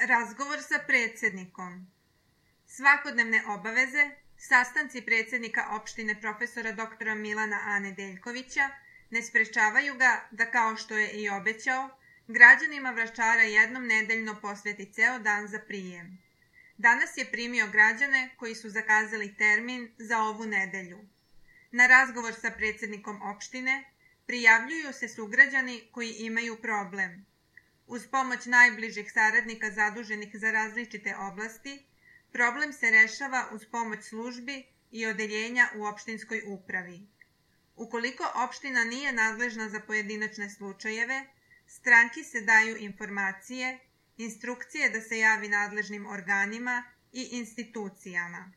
Razgovor sa predsjednikom. Svakodnevne obaveze, sastanci predsjednika opštine profesora doktora Milana A. Nedeljkovića ne sprečavaju ga da, kao što je i obećao, građanima Vračara jednom nedeljno posveti ceo dan za prijem. Danas je primio građane koji su zakazali termin za ovu nedelju. Na razgovor sa predsjednikom opštine prijavljuju se sugrađani koji imaju problem. Uz pomoć najbližih saradnika zaduženih za različite oblasti, problem se rešava uz pomoć službi i odeljenja u opštinskoj upravi. Ukoliko opština nije nadležna za pojedinačne slučajeve, stranki se daju informacije, instrukcije da se javi nadležnim organima i institucijama.